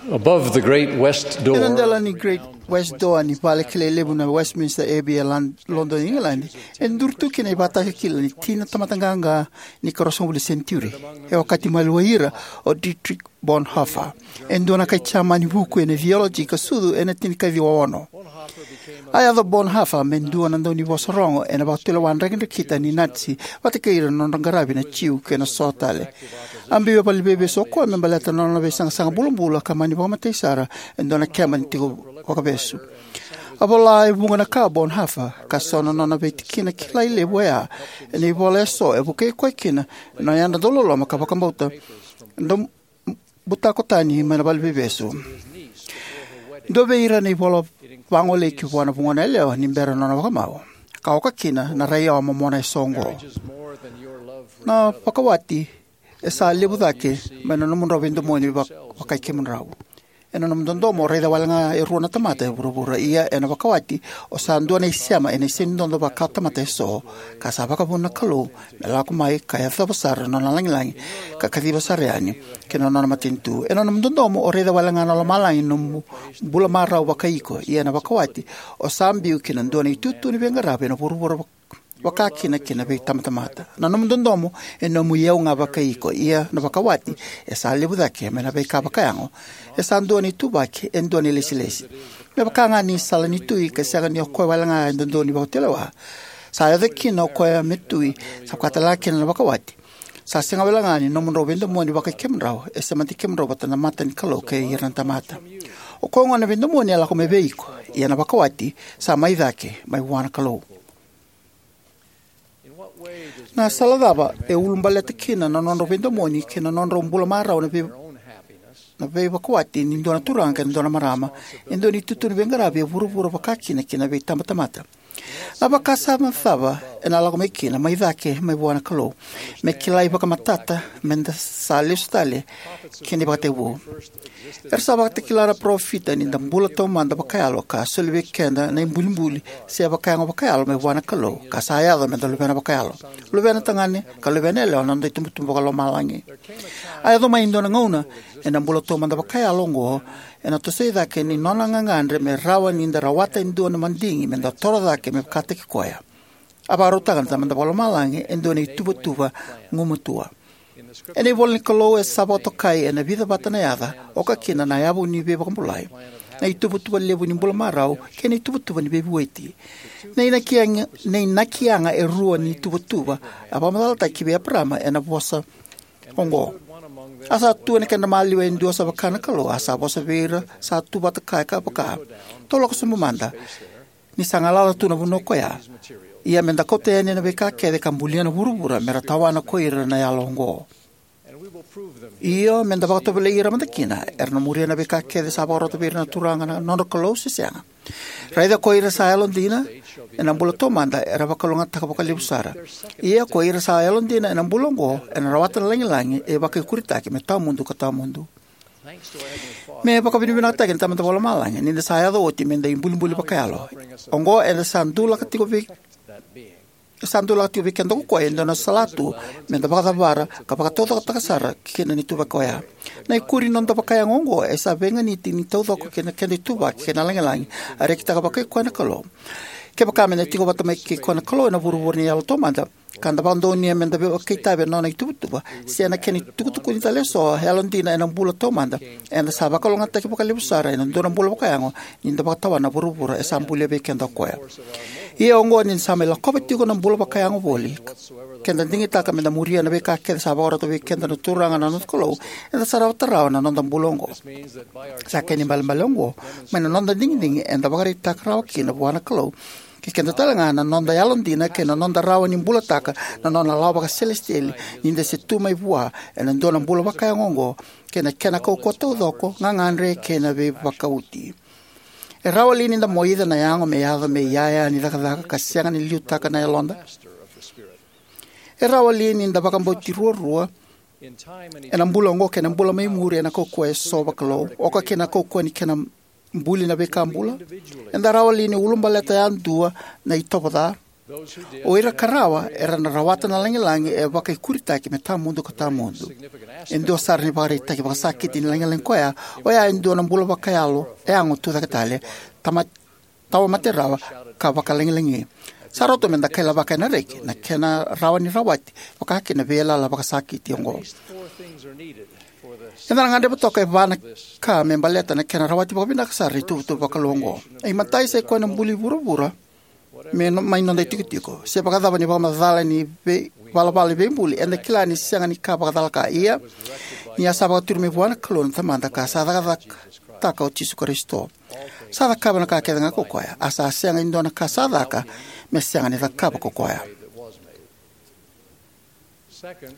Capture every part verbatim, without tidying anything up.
Above the great west door, ena dela ni Great West Door ni vale kilai levu na Westminster Abbey e Lon-, Lodoni, Igiladi, e duri tu kina na ivakatakila ni tina tamata qaqa ni ikaruasagavulu ni senitiuri. E okati maliwai ira o Dietrich Bonhoeffer, e dua na kai Jamani vuku ena theology ka sucu ena tinikaciwa ono. A yaco Bonhoeffer me dua na daunivosa rogo ena vakatulewa drakidrakita ni Nazi vata kei ira na nodra qaravi na Jiu kei na so tale. A biu e valeniveivesu o koya me baleta na nona veisaqasaqa bulabula ka mani vakamatei sara e dua na keba ni tiko vakavesu. A vola e vuqa na ka o Bonhoeffer, ka so na nona veitikina kilai levu oya ena ivola eso e vukei koya kina na yadra dauloloma ka vakabauta, dau butako tani mai na valeniveivesu. Dua vei ira na ivola vagolei ki vua na vugona yalewa ni bera na nona vakamau, ka oka kina na raiyawa momona eso oqo: Na vakawati e sa levu cake mai na nomudrau veidomoni vak-, vakai kemudrau. Ena nomu dodomo o raica wale ga e rua na tamata e vuravura, ia ena vakawati o sa dua na isema ena isenidodo vakatamata eso, ka sa vakavuna na Kalou me lako mai ka yacova sara na nona lagilagi ka kaciva sara yani ki na nona matanitu. Ena nomu dodomo o raica wale ga na lomalagi ni nomu bula marau vakai iko, ia ena vakawati o sa biu ki na dua na itutu ni veiqaravi ena vuravura vak-, vakakina kei na veitabatamata. Na nomu dodomo e nomu iyau ga vakai iko, ia na vakawati e sa levu cake mai na veika vakayago e sa dua na ituvaki, e dua na ilesilesi. Me vaka ga ni sala ni tui ka sega ni o koya wale ga e dodonu ni vakatulewa, sa yaco kina o koya me tui, sa vaka tale ga kina na vakawati. Sa sega wale ga ni nomudrau veidomoni vakai kemudrau, e semati kemudrau vata na mata ni Kalou kei ira na tamata. O koya gona na veidomoni e lako mai vei iko, ia na vakawati sa mai cake mai vua na Kalou. Na sala cava e ulubaleta kina na nodrau veidomoni kei na nodrau bula marau na vei-, na veivakawati ni dua na turaga kei na dua na marama, e dua na itutu ni veiqaravi e vuravura vakakina kei na veitabatamata? Na vakasama cava ena lako mai kina mai cake mai vua na Kalou, me kilai vakamatata meda sa lesu tale ki na ivakatekivu? Era sa vakatakila na parofita ni da bula taumada vakayalo ka soli vei keda na ibulibuli se vakayago vakayalo mai vua na Kalou, ka sa yaco meda luvena vakayalo, luvena tagane ka luvena yalewa na noda itubutubu vakalomalagi. A yaco mai e dua na gauna ena bula taumada vakayalo oqo, ena toso i cake ni nona gagadre me rawa ni da rawata e dua na madigi meda toro cake me vakataki koya. A vakarautaka na Tamada Vakalomalagi e dua na ituvatuva gumatua. Ena ivola ni Kalou e sa vakatokai ena vica vata na yaca, oka kina na yavu ni veivakabulai, na ituvatuva levu ni bula marau, kei na ituvatuva ni veivueti. Na inaki yaga, na inaki yaga e rua ni ituvatuva a vakamacalataki vei Eparama ena vosa oqo: A sa tu ena kedra maliwa e dua sa vaka na Kalou, a sa vosa vei ira sa tu vata kaya ka vaka: Tou lako sobu mada, ni sa galala tu na vanua koya. Ia meda kauta yani na veika kece ka bulia na vuravura, mera tawana ko ira na yalo oqo. Io, meda vakatovolei ira mada kina, era na muria na veika kece sa vakarota vei ira na Turaga na nodra Kalou se sega. Raica ko ira sa yalodina ena bula taumada, era vakalougatataka vakalevu sara. Ia ko ira sa yalodina ena bula oqo, ena rawata na lagilagi e vakaikuritaki me tawamudu ka tawamudu. Me vakavinavinakataki na Tamada Vakalomalagi, ni da sa yaco oti meda ibulibuli vakayalo. Oqo eda sa dulaka tiko vei, sa dulaka tiko vei keda ko koya e dua na salatu meda vakacavara ka vakataucokotaka sara kina na ituvaki oya. Na ikuri ni noda vakayago oqo e sa veiganiti ni taucoko kei na keda ituvaki kei na lagilagi a rekitaka vakai koya na Kalou. Kevaka meda tiko vata mai kei koya na Kalou ena vuravura ni yalo taumada, ka da vakadonuya meda vakaitavi ena nona ituvatuva se ena kena itukutukuni tale eso yalodina ena bula taumada, eda sa vakalougatataki vakalevu sara ena dua na bula vakayago ni da vakatawana na vuravura e sa bulia vei keda o koya. Ia oqo ni da sa mai lakova tiko na bula vakayago voli, keda digitaka meda muria na veika kece sa vakarota vei keda na Turaga na noda Kalou, eda sa rawata rawa na noda bula oqo. Sa kena ibalebale oqo mai na noda digidigi eda vakaraitaka rawa kina vua na Kalou kei keda tale ga na noda yalodina kei na noda rawa ni bulataka na nona lawa vakaselesitieli ni da se tu mai vua ena dua na bula vakayago oqo, kei na kena kaukauwa taucoko, gagadre kei na veivakauti. E rawa li ni da moica na yago me yaco me iyaya ni cakacaka ka sega ni liutaka na yaloda? E rawa li ni da vakabauti ruarua ena bula oqo kei na bula mai muri ena kaukauwa eso vakalou, oka kina na kaukauwa ni kena buli na veika bula? Eda rawa li ni ulubaleta yadua na itovo ca? O ira ka rawa era na rawata na lagilagi e vakaikuritaki me tawamudu ka tawamudu. E dua sara na ivakaraitaki vakasakiti ni lagilagi koya oya e dua na bula vakayalo yago tucake tale, tama- tawamate rawa, ka vakalagilagi. Sa rauta meda kailavaka ena reki na kena rawa ni rawati vakakina na veiyalayala vakasakiti oqo. Eda na gadreva toka e va na ka me baleta na kena rawati vakavinaka sara na ituvatuva vakalou oqo. Na imatai sa ikoya na buli vuravura me no- mai noda itikotiko. Se vakacava na ivakamacala ni vei- valavala ni veibuli, eda kila ni sega ni ka vakacalaka. Ia, ni a sa vakaturi mai vua na Kalou na Tamada ka sa cakacakataka o Jisu Karisito. Sa cakava na ka kece ga ko koya, a sa sega e dua na ka sa caka me sega ni cakava ko koya.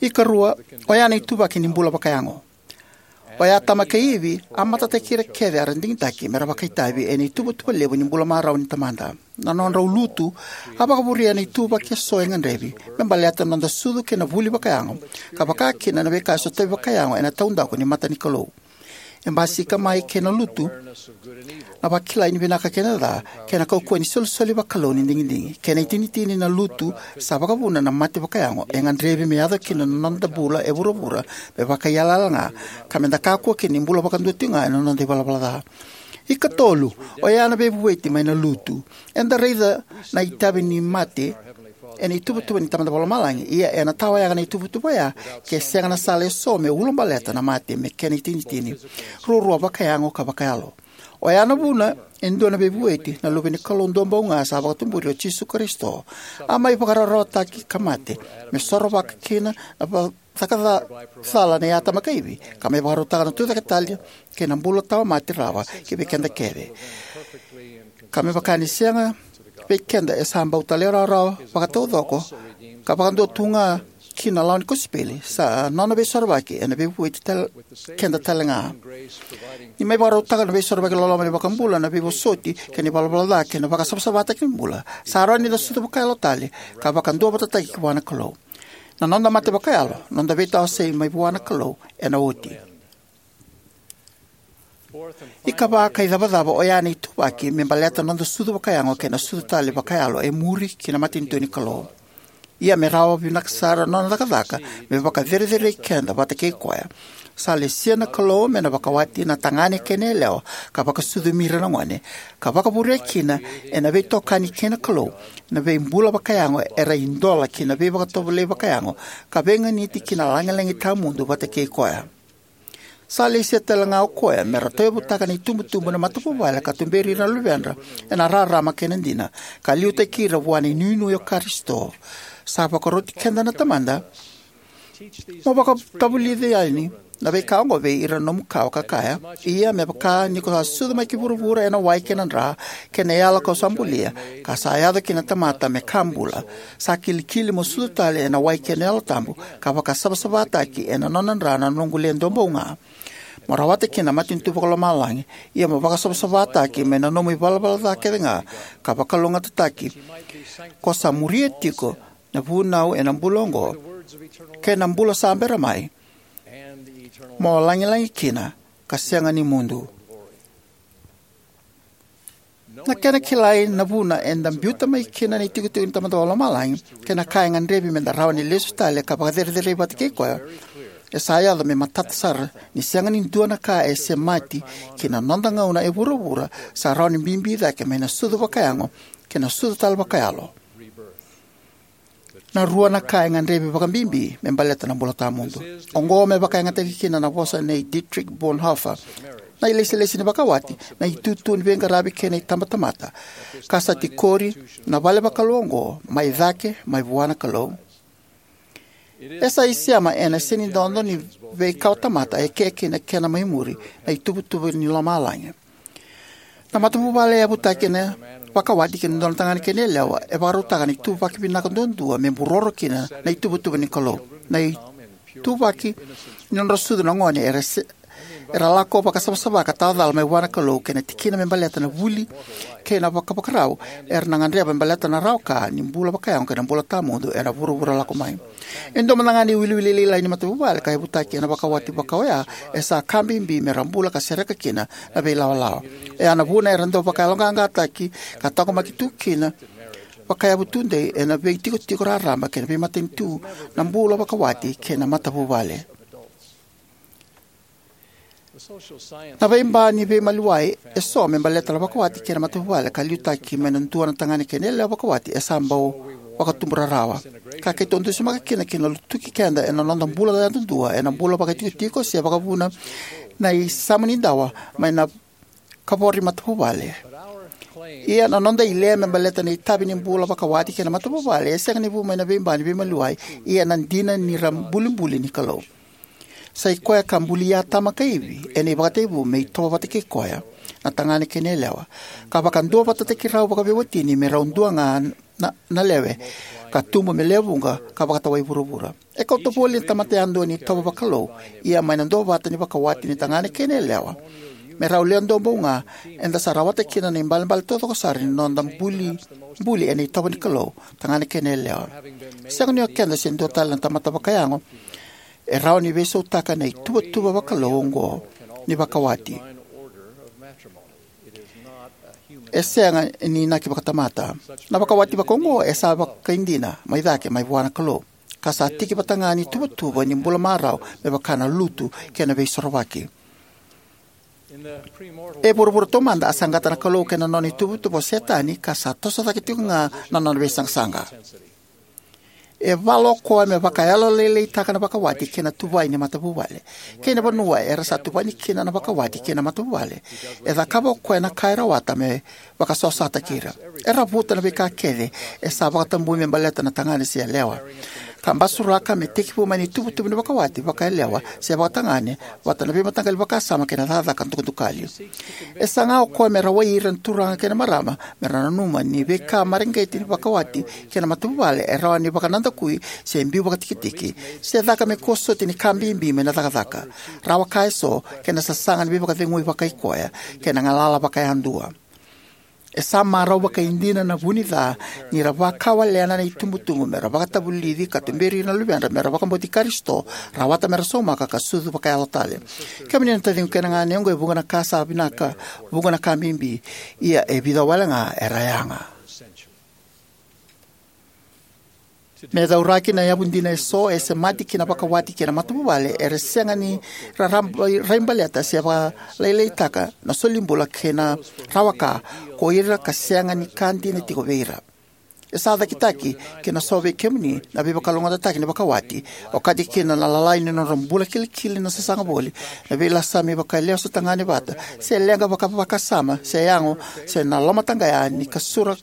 Ikarua, oya na ituvaki ni bula vakayago. Oya Atama kei Ivi a matataki ira kece era digitaki mera vakaitavi ena ituvatuva levu ni bula marau ni Tamada. Na nodrau lutu a vakavurea na ituvaki eso e gadrevi me baleta na noda sucu kei na vuli vakayago, ka vakakina na veika e sotavi vakayago ena taudaku ni mata ni Kalou. E basika mai kei na lutu na vakilai ni vinaka kei na ca, kei na kaukauwa ni solisoli vakalou ni digidigi. Kena itinitini, na lutu sa vakavuna na mate vakayago e gadrevi me yaco kina na noda bula e vuravura me vakaiyalayala ga, ka meda kakua kina ni bula vakadua tiko ga ena noda ivalavala ca. Ikatolu, oya na veivueti mai na lutu. Eda raica na itavi ni mate ena ituvatuva ni Tamada Vakalomalagi, ia ena tawayaga na ituvatuva oya ke sega na sala eso me ulabaleta na mate me kena itinitini, ruarua vakayago ka vakayalo. Oya na vuna e dua na veivueti, na Luve ni Kalou duabau ga sa vakatuburi, o Jisu Karisito, a mai vakararawataki ka mate me sorovaka kina na va- caka ca- cala nei Atama kei Ivi, ka me vakarautaka na tucake tale kei na bula tawamate rawa ki vei keda kece. Ka me vaka ni sega vei keda e sa bau talairawarawa vakataucoko ka vakadua tu ga ki na lawa ni kosipeli, sa nona veisorovaki ena veivueti tal- keda tale ga. Ni mai vakarautaka na veisorovaki loloma ni iVakabula na veivosoti kei na ivalavala ca kei na vakasavasavataki ni bula, sa rawa ni da sucu vakayalo tale ka vakaduavatataki vua na Kalou. Na noda mate vakayalo, noda veitawasei mai vua na Kalou, ena oti. Ikava ka icavacava, oya na ituvaki me baleta na noda sucu vakayago kei na sucu tale vakayalo e muri ki na matanitu ni Kalou. Ia me rawa vinaka sara na nona cakacaka me vakacerecerei keda vata kei koya, sa lesia na Kalou me na vakawati na tagane kei na yalewa ka vakasucumi ira na gone, ka vakavurea kina ena veitokani kei na Kalou na veibula vakayago era idola ki na veivakatovolei vakayago ka veiganiti ki na lagilagi tawamudu vata kei koya. Sa lesia tale ga o koya me ra tauyavutaka na itubutubu na matavuvale ka tuberi ira na luvedra ena rarama kei na dina, ka liutaki ira vua na inuinui o Karisito. Sa vakaroti keda na Tamada: Mo vakatavulici yani na veika oqo vei ira na nomu kawa, ka kaya: Ia me vaka ni ko sa sucu mai ki vuravura ena wai kei na dra kei na yala kau sa bulia, ka sa yaco ki na tamata me ka bula, sa kilikili mo sucu tale ena wai kei na Yalo Tabu, ka vakasavasavataki ena nona dra na noqu Le Duabau Ga, mo rawata kina na matanitu vakalomalagi. Ia mo vakasavasavataki mai na nomu ivalavala ca kece ga, ka vakalougatataki ko sa muria tiko na vunau ena bula oqo kei na bula sa bera mai, mo lagilagi kina ka sega ni mudu. Na kena kilai na vuna eda biuta mai kina na itikotiko ni Tamada Vakalomalagi kei na ka e gadrevi meda rawa ni lesu tale ka vakacerecerei vata kei koya, e sa yaco me matata sara ni sega ni dua na ka e semati ki na noda gauna e vuravura sa rawa ni bibi cake mai na sucu vakayago kei na sucu tale vakayalo. Na rua na ka e gadrevi vakabibi me baleta na bula tawamudu. Oqo me vakayagataki kina na vosa nei Dietrich Bonhoeffer, na ilesilesi ni vakawati, na itutu ni veiqaravi kei na itabatamata, ka sa tikori na vale vakalou oqo mai cake mai vua na Kalou. E sa isema ena senidodo ni veikawatamata eke kei na kena mai muri, na ituvatuva ni lomalagi. Na matavuvale e yavutaki ena vakawati kei na dua na tagane kei na yalewa e vakarautaka na ituvaki vinaka duadua me buroro kina na ituvatuva ni Kalou. Na ituvaki ni nodra sucu na gone era se- era lako vakasavasava ka tawacala mai vua na Kalou, kei na tikina me baleta na vuli kei na vakavakarau era na gadreva me baleta na rawa ka ni bula vakayago kei na bula tawamudu ena vuravura lako mai. E dua mada ga na iwiliwili lailai ni matavuvale ka yavutaki ena vakawati vakaoya e sa ka bibi me ra bula ka sereka kina na veilawalawa. Oya na vuna era dau vakayaloqaqataki ka taqomaki tu kina vakayavu tudei ena veitikotiko raraba kei na veimatanitu na bula vakawati kei na matavuvale. Na veiba ni veimaliwai eso me baleta na vakawati kei na matavuvale ka liutaki mai na dua na tagane kei na yalewa vakawati e sa bau vakatubu rarawa, ka keitou dusimaka kina ki na lutuki keda ena noda bula yadudua, ena bula vakaitikotiko se vakavuna na isama ni dawa mai na kavoro ni matavuvale. Ia na noda ile me baleta na itavi ni bula vakawati kei na matavuvale e sega ni vu mai na veiba ni veimaliwai, ia na dina ni ra bulibuli ni Kalou. Sa i koya ka bulia Atama kei Ivi ena ivakatekivu me itovo vata kei koya na tagane kei na yalewa, ka vakaduavatataki rau vakaveiwatini me rau dua ga na, na lewe, ka tubu me lewe vuqa ka vakatawai vuravura. E kauta voli na tamata yadua ni itovo vakalou, ia mai na duavata ni vakawati ni tagane kei na yalewa, me rau lewe duabau ga, eda sa rawata kina na ibalebale taucoko sara ni noda buli, buli ena itovo ni Kalou, tagane kei na yalewa. Sega ni o keda se dua tale na tamata vakayago e rawa ni veisautaka na ituvatuva vakalou oqo ni vakawati. E sega ni inaki vakatamata. Na vakawati vakaoqo e sa vakaidina mai cake mai vua na Kalou, ka sa tiki vata ga ni tuvatuva ni bula marau me vaka na lutu kei na veisorovaki. E vuravura taumada a saqata na Kalou kei na nona ituvatuva o Setani, ka sa toso cake tiko ga na nona veisaqasaqa. E vala o koya me vakayalolailaitaka na vakawati kei na tuvai ni matavuvale. Kei na vanua era sa tuvani kina na vakawati kei na matavuvale, e cakava o koya na ka e rawata me vakasosataki ira. E ravuta na veika kece e sa vakatabui me baleta na tagane se yalewa, ka basuraka me tekivu mai na ituvatuva ni vakawati vakayalewa se vakatagane, vata na veimataqali vakasama kei na cakacaka dukadukali. E saga o koya me rawai ira na turaga kei na marama me ra nanuma ni veika mareqeti ni vakawati kei na matavuvale e rawa ni vakanadakui se biu vakatikitiki, se caka me kua soti ni ka bibi mai na cakacaka, rawa ka eso, kei na sasaga ni veivakacegui vakaikoya kei na galala vakayadua. E sa marau vakaidina na vu ni ca ni ra vakawalena na itubutubu me ra vakatavulici ka tuberi ira na luvedra me ra vakabauti Karisito, rawata me ra saumaka ka sucu vakayalo tale. Kemuni na taciqu kei na ganequ, e vuqa na ka sa vinaka, vuqa na ka bibi, ia e vica wale ga era yaga. Me cauraki na yavu dina eso, e semati ki na vakawati kei na matavuvale era sega ni ra, ra, raibaleta se vakalailaitaka na solibula kei na rawaka ko ira ka sega ni ka dina tiko vei ira. E sa cakitaki kina so vei kemuni na veivakalougatataki ni vakawati, okati kina na lalai ni nodra bula kilikili na sasaga voli, na veilasami vakalesu tagane vata, se leqa vakavakasama, se yago, se na lomataqaya ni kasura,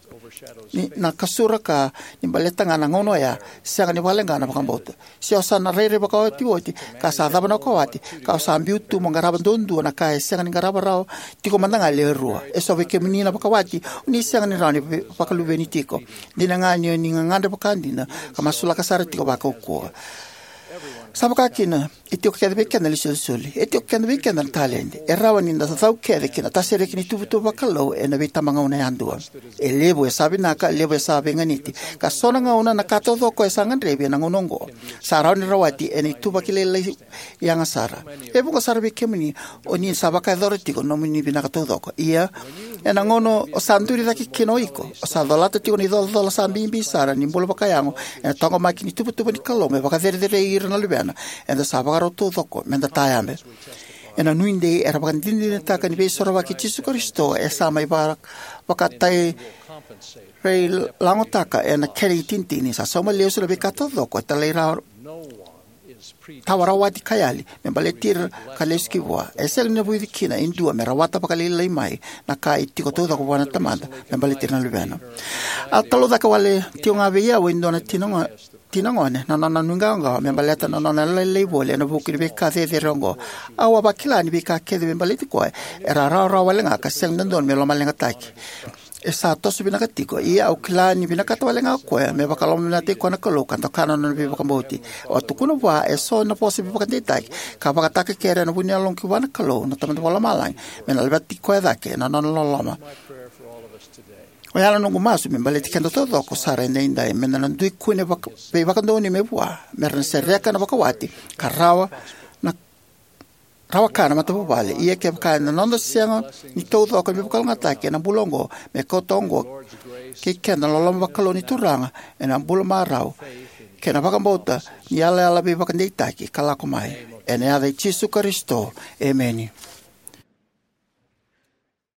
ni, na kasura ka ni baleta ga na gauna oya, sega ni vakaleqa na vakabauta. Se o sa na rairai vakaotioti, ka sa cava na vakawati, ka o sa biu tu mo qarava duadua na ka e sega ni qarava rawa tiko mada ga e lewe rua. Eso vei kemuni na vakawati, o ni sega ni rawa ni ve-, vakaluveni tiko. Dina ga ni o ni gagadre vakadina, ka masulaka sara tiko vakaukauwa. Sa vaka kina, e tiko kece vei keda na isolisoli. E tiko kece vei keda na taledi. E rawa ni da cau kece ki na tasereki ni tuvatuva vakalou ena veitabagauna yadua. E levu e sa vinaka, levu e sa veiganiti. Ka so na gauna na ka taucoko e sa gadrevi ena gauna oqo, sa rawa ni rawati ena ituvaki lailai yaga sara. E vuqa sara vei kemuni o ni sa vakayacora tiko na nomuni vinaka taucoko. Ia, ena gauna o sa duri cake kina o iko, o sa colata tiko na icolacola sa bibi sara ni bula vakayago ena taqomaki ni tuvatuva ni Kalou me vakacerecerei ira na luvena, eda sa vakarau taucoko me da tayabe. Ena nuidei era vakadinadinataka ni veisorovaki i Jisu Karisito e sa mai vaka-, vakatairailagotaka ena kena itinitini. Sa sauma lesu na veika taucoko e talai ra-, tawa rawati ka yali me baleti ira ka lesu ki vua. E sega ni navuci kina e dua me rawata vakalailai mai na ka e tiko taucoko vua na Tamada me baleti ira na luvena. A talaucaka wale tiko ga vei au e dua na tina go-, tina gone na nona nuiqawaqawa me baleta na nona lailai voli ena vuku ni veika cecere oqo. Au a vakila ni veika kece me baleti koya era rawarawa wale ga ka sega ni dodonu me lomaleqataki. E sa toso vinaka tiko, ia au kila ni vinakata wale ga o koya me vakalomavinakataki koya na Kalou ka doka na nona veivakabauti. Au a tukuna vua eso na vosa veivakadeitaki ka vakatakekere ena vu ni yaloqu ki vua na Kalou na Tamada Vakalomalagi me na laveti koya cake na nona loloma. Oya na noqu masu me baleti keda taucoko sara edaidai, me da na dui kune vaka-, veivakadonui mai vua, me ra na sereka na vakawati ka rawa na, rawa ka na matavuvale. Ia kevaka ena noda sega ni taucoko na veivakalougatataki ena bula oqo, me kauta oqo kei keda na loloma vakalou ni Turaga ena bula marau kei na vakabauta ni yalayala veivakadeitaki ka lako mai. Ena yaca i Jisu Karisito, emeni.